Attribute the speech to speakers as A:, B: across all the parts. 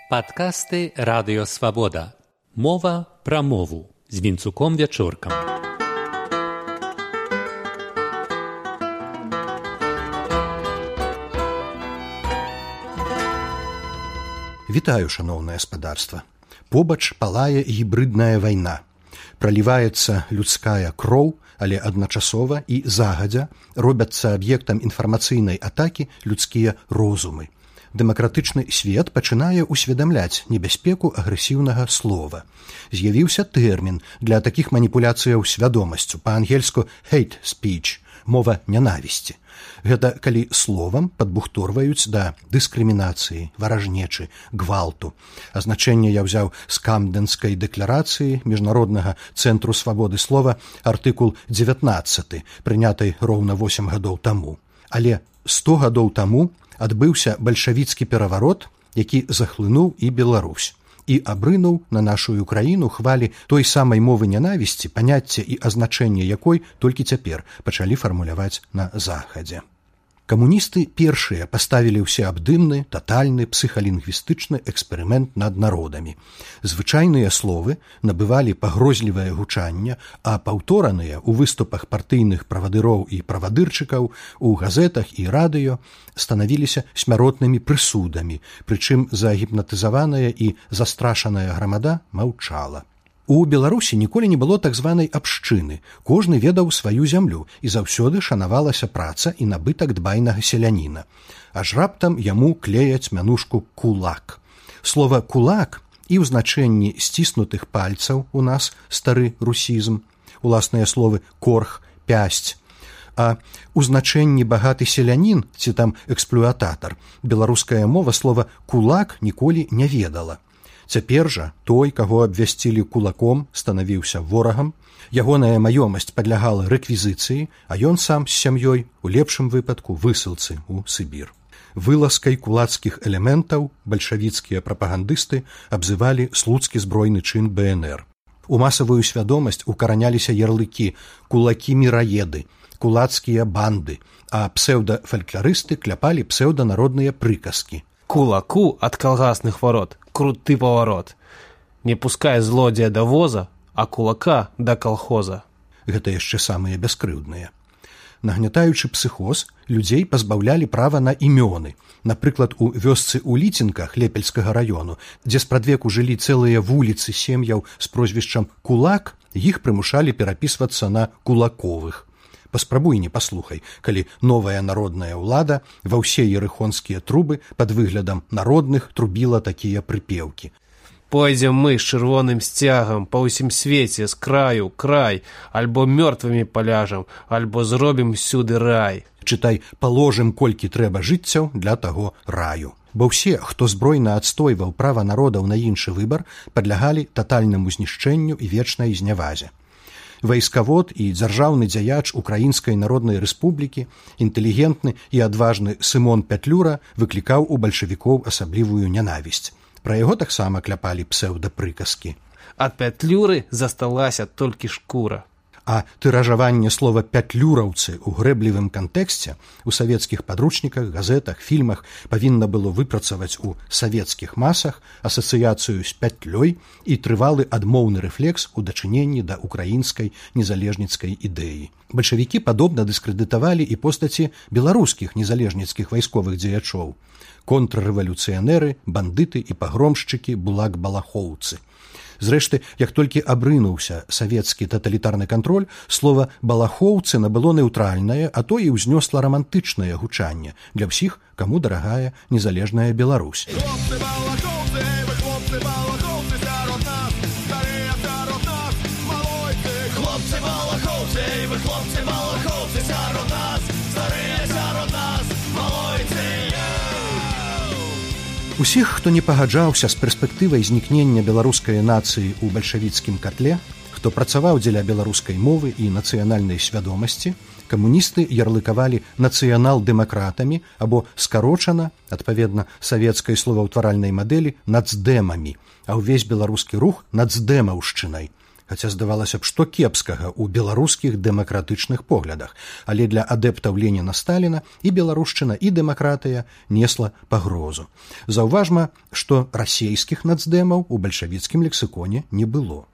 A: Падкасты Радыё Свабода. Мова пра мову з Вінцуком Вячоркам.
B: Вітаю, шаноўнае спадарства. Побач палае гібрыдная вайна. Праліваецца людская кроў, але адначасова і загадзя робяцца аб'ектам інфармацыйнай атакі людскія розумы. Дэмакратычны свет пачынае ўсведамляць небяспеку агрэсіўнага слова. З'явіўся тэрмін для такіх маніпуляцыяў свядомасцю, па-ангельску hate speech, мова нянавісці. Гэта калі словам падбухторваюць да дыскрымінацыі, варажнечы, гвалту. Азначэнне я ўзяў з Камдэнскай дэкларацыі Міжнароднага цэнтру свабоды слова, артыкул 19, прынятай роўна 8 гадоў таму. Але 100 гадоў таму адбыўся бальшавіцкі пераварот, які захлынуў і Беларусь, і абрынуў на нашу краіну хвалі той самай мовы нянавісці, паняцце і азначэнне якой толькі цяпер пачалі фармуляваць на захадзе. Камуністы першыя паставілі ўсеабдымны, татальны псіхалінгвістычны эксперымент над народамі. Звычайныя словы набывалі пагрозлівае гучанне, а паўтораныя ў выступах партыйных правадыроў і правадырчыкаў у газетах і радыё станавіліся смяротнымі прысудамі, прычым загіпнатызаваная і застрашаная грамада маўчала. У Беларусі ніколі не было так званай абшчыны. Кожны ведаў сваю зямлю, і заўсёды шанавалася праца і набытак дбайнага селяніна. Аж раптам яму клеяць мянушку «кулак». Слова «кулак» і ў значэнні сціснутых пальцаў у нас стары русізм, уласныя словы «корх», «пясць», а ў значэнні багаты селянін ці там эксплуататар беларуская мова слова «кулак» ніколі не ведала. Цяпер жа той, каго абвясцілі кулаком, станавіўся ворагам, ягоная маёмасць падлягала рэквізіцыі, а ён сам з сям'ёй, у лепшым выпадку, высылцы ў Сібір. Вылазкай кулацкіх элементаў бальшавіцкія прапагандысты абзывалі слуцкі збройны чын БНР. У масавую свядомасць укараняліся ярлыкі «кулакі-міраеды», «кулацкія банды», а псеўдафалькларысты кляпалі псеўданародныя прыказкі.
C: Кулаку от колгасных ворот круты поворот. Не пускай злодзея до воза, а кулака до колхоза.
B: Гэта яшчэ самыя бяскрыўдныя. Нагнятаючы псіхоз, людзей пазбаўлялі права на імёны. Напрыклад, у вёсцы ў Ліцінках Лепельскага раёну, дзе спрадвеку жылі цэлыя вуліцы сем'яў з прозвішчам «Кулак», іх прымушалі перапісвацца на «Кулаковых». Паспрабуй не паслухай, калі новая народная ўлада ва ўсе ерыхонскія трубы пад выглядам народных трубіла такія прыпеўкі.
C: Пойдзем мы з чырвоным сцягам па ўсім свеце з краю край, альбо мёртвымі паляжам, альбо зробім сюды рай.
B: Чытай, паложым колькі трэба жыццяў для таго раю. Бо ўсе, хто збройна адстойваў права народаў на іншы выбар, падлягалі татальнаму знішчэнню і вечнай знявазе. Вайскавод і дзяржаўны дзяяч Украінскай Народнай Рэспублікі, інтэлігентны і адважны Сымон Пятлюра выклікаў у бальшавікоў асаблівую нянавісць. Пра яго таксама кляпалі псеўдапрыказкі.
C: Ад Пятлюры засталася толькі шкура.
B: А тыражаванне слова «пятлюраўцы» ў грэблівым кантэксце у савецкіх падручніках, газетах, фільмах павінна было выпрацаваць у савецкіх масах асацыяцыю з пятлёй і трывалы адмоўны рэфлекс у дачыненні да украінскай незалежніцкай ідэі. Бальшавікі падобна дыскрэдытавалі і постаці беларускіх незалежніцкіх вайсковых дзеячоў. Контррэвалюцыянеры, бандыты і пагромшчыкі, булак-балахоўцы. Зрэшты, як толькі абрынуўся савецкі таталітарны кантроль, слова «балахоўцы» набыло неўтральнае, а то і ўзнёсла рамантычнае гучанне для ўсіх, каму дарагая незалежная Беларусь.
D: Хлопцы балахоўцы, вы хлопцы балахоўцы сярод нас, старыя сярод нас, малойцы. Хлопцы балахоўцы, вы хлопцы балахоўцы сярод нас, старыя сярод нас, малойцы.
B: Усіх, хто не пагаджаўся з перспектывай знікнення беларускай нацыі ў бальшавіцкім катле, хто працаваў дзеля беларускай мовы і нацыянальнай свядомасці, камуністы ярлыкавалі нацыянал-дэмакратамі або скарочана, адпаведна савецкай словаўтваральнай мадэлі, нацдэмамі, а ўвесь беларускі рух нацдэмаўшчынай. хаця здавалася б, што кепскага ў беларускіх дэмакратычных поглядах, але для адэптаў Леніна-Сталіна і беларушчына, і дэмакратыя несла пагрозу. Заўважма, што расейскіх нацдэмаў у бальшавіцкім лексіконе не было.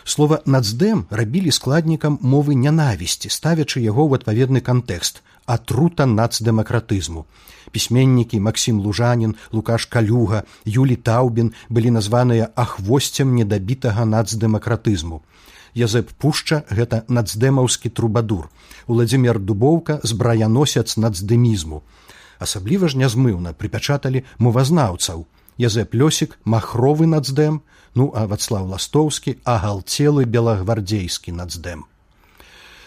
B: Слова «нацдэм» рабілі складнікам мовы нянавісці, ставячы яго ў адпаведны кантэкст – атрута нацдэмакратызму. Пісьменнікі Максім Лужанін, Лукаш Калюга, Юлі Таўбін былі названыя ахвосцем недабітага нацдэмакратызму. Язэп Пушча – гэта нацдэмаўскі трубадур. Уладзімір Дубоўка – збраяносец нацдэмізму. Асабліва ж нязмыўна прыпячаталі мовазнаўцаў. Язэп Лёсік – махровы нацдэм, а Вацлаў Ластоўскі – агалцелы белагвардзейскі нацдэм.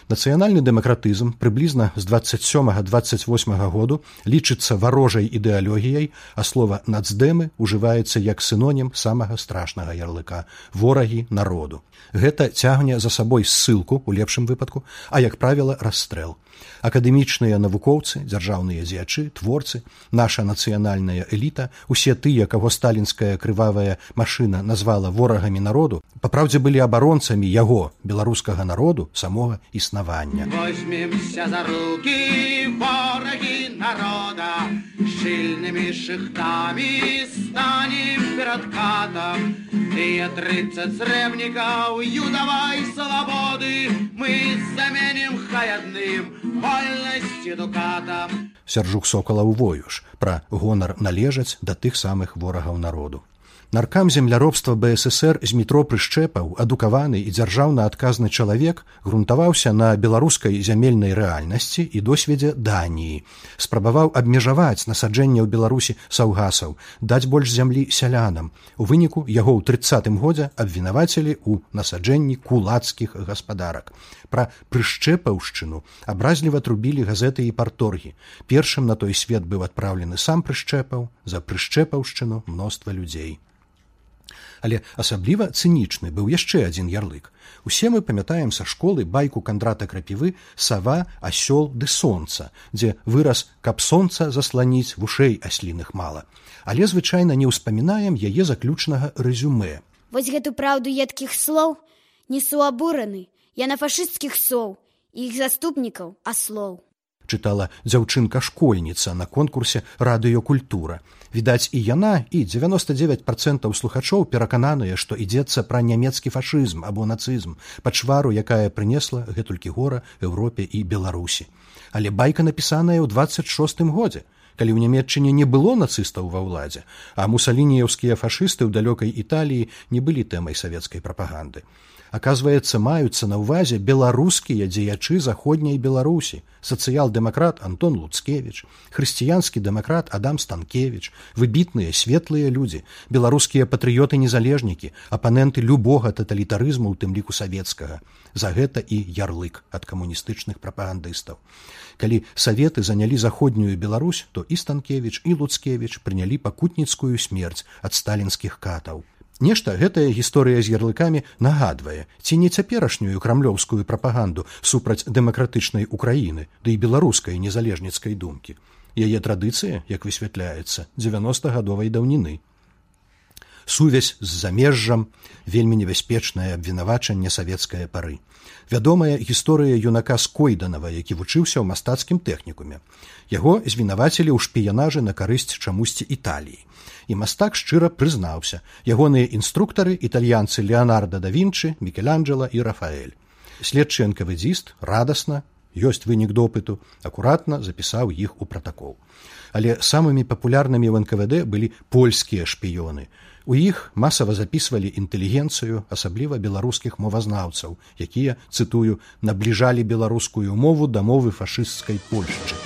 B: Нацыянальны дэмакратызм прыблізна з 27-28 году лічыцца варожай ідэалогіяй, а слова «нацдэмы» ужываецца як сінонім самага страшнага ярлыка – ворагі народу. Гэта цягне за сабой ссылку, у лепшым выпадку, а, як правіла, расстрэл. Акадэмічныя навукоўцы, дзяржаўныя дзеячы, творцы, наша нацыянальная эліта, усе тыя, каго сталінская крывавая машына назвала ворагамі народу, папраўдзе былі абаронцамі яго, беларускага народу, самога існавання.
D: Возьмемся за руки, вораги народа, шильными шихтами станем перед катом. Тыя 30 срэбнікаў юдавай свабоды мы заменім хай адным вольнасці дукатам.
B: Сяржук Сокалаў Воюш пра гонар належаць да тых самых ворагаў народу. Наркам земляробства БССР Змітро Прышчэпаў, адукаваны і дзяржаўна адказны чалавек, грунтаваўся на беларускай зямельнай рэальнасці і досведзе Даніі. Спрабаваў абмежаваць насаджэнне ў Беларусі саўгасаў, даць больш зямлі сялянам. У выніку яго ў 30-м годзе абвінавацілі ў насаджэнні кулацкіх гаспадарак. Пра прышчэпаўшчыну абразліва трубілі газеты і парторгі. Першым на той свет быў адпраўлены сам Прышчэпаў, за прышчэпаўшчыну мноства людзей. Але асабліва цынічны быў яшчэ адзін ярлык. Усе мы памятаем са школы байку Кандрата Крапівы «Сава, асёл ды сонца», дзе выраз «каб сонца засланіць, вушэй асліных мала». Але звычайна не ўспамінаем яе заключнага рэзюмэ.
E: Вось гэту праўду едкіх слоў несу абураны. Я на фашысцкіх соў і іх заступнікаў аслоў.
B: Чытала дзяўчынка-школьніца на конкурсе «Радыёкультура». Відаць, і яна, і 99% слухачоў перакананыя, што ідзецца пра нямецкі фашызм або нацызм, пачвару, якая прынесла гэтулькі гора Еўропе і Беларусі. Але байка напісаная ў 26-м годзе, калі ў Нямецчыне не было нацыстаў ва ўладзе, а мусалініеўскія фашысты ў далёкай Італіі не былі тэмай савецкай прапаганды. Аказваецца, маюцца на ўвазе беларускія дзеячы заходняй Беларусі, сацыял-дэмакрат Антон Луцкевіч, хрысціянскі дэмакрат Адам Станкевіч, выбітныя светлыя людзі, беларускія патрыёты-незалежнікі, апаненты любога таталітарызму, у тым ліку савецкага. За гэта і ярлык ад камуністычных прапагандыстаў. Калі саветы занялі заходнюю Беларусь, то і Станкевіч, і Луцкевіч прынялі пакутніцкую смерць ад сталінскіх катаў. Нешта гэтая гісторыя з ярлыкамі нагадвае, ці не цяперашнюю крамлёўскую прапаганду супраць дэмакратычнай Украіны, ды і беларускай незалежніцкай думкі. Яе традыцыя, як высвятляецца, 90-гадовай даўніны. Сувязь з замежжам, вельмі небяспечнае абвінавачанне савецкае пары. Вядомая гісторыя юнака Скойданава, які вучыўся ў мастацкім тэхнікуме. Яго звінавацілі ў шпіянажы на карысць чамусьці Італіі. І мастак шчыра прызнаўся. Ягоныя інструктары – італьянцы Леонардо да Вінчы, Мікеланджела і Рафаэль. Следчы НКВДзіст радасна, ёсць вынік допыту, акуратна запісаў іх у пратакол. Але самымі папулярнымі ў НКВД былі польскія шпіёны. У іх масава запісвалі інтэлігенцыю, асабліва беларускіх мовазнаўцаў, якія, цытую, набліжалі беларускую мову да мовы фашысцкай Польшчы.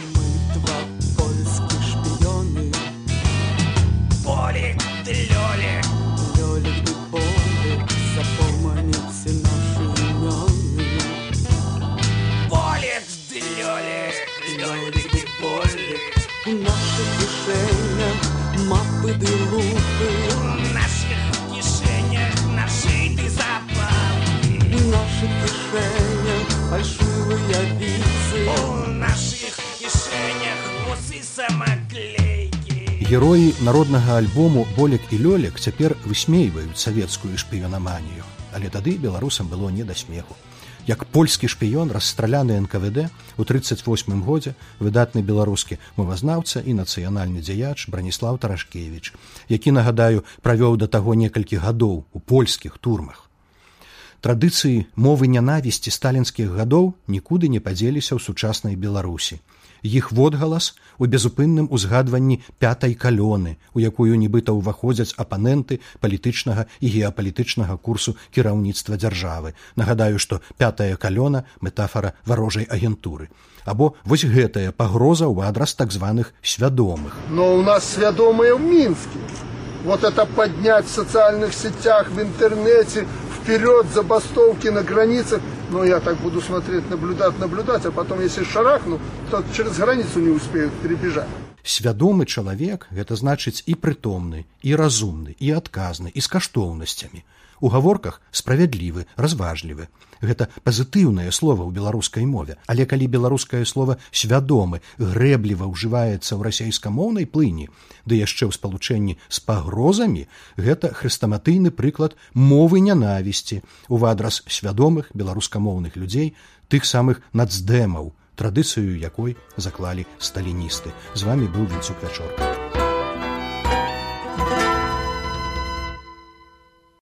B: Героі народнага альбому «Болек і Лёлек» цяпер высмейваюць савецкую шпіёнаманію. але тады беларусам было не да смеху. Як польскі шпіён, расстраляны НКВД у 1938 годзе выдатны беларускі мовазнаўца і нацыянальны дзеяч Браніслаў Тарашкевіч, які, нагадаю, правёў да таго некалькі гадоў у польскіх турмах. Традыцыі мовы нянавісці сталінскіх гадоў нікуды не падзеліся ў сучаснай Беларусі. Іх водгалас у безупынным узгадванні пятай калёны, у якую нібыта ўваходзяць апаненты палітычнага і геапалітычнага курсу кіраўніцтва дзяржавы. Нагадаю, што пятая калёна – метафара варожай агентуры. Або вось гэтая пагроза ў адрас так званых свядомых.
F: Но у нас свядомыя ў Мінске. Вот это поднять в социальных сетях, в интернете, вперед, забастовки на границах. Но я так буду смотреть, наблюдать, а потом, если шарахну, то через границу не успеют перебежать.
B: Свядомы чалавек – гэта значыць і прытомны, і разумны, і адказны, і з каштоўнасцямі. У гаворках справядлівы, разважлівы. Гэта пазітыўнае слова ў беларускай мове. Але калі беларускае слова «свядомы» грэбліва ўжываецца ў расейскамоўнай плыні, ды яшчэ ў спалучэнні з пагрозамі, гэта хрэстаматыйны прыклад мовы нянавісці ў адрас свядомых беларускамоўных людзей, тых самых нацдэмаў, традыцыю якой заклалі сталіністы. З вамі быў Вінцук Вячорка.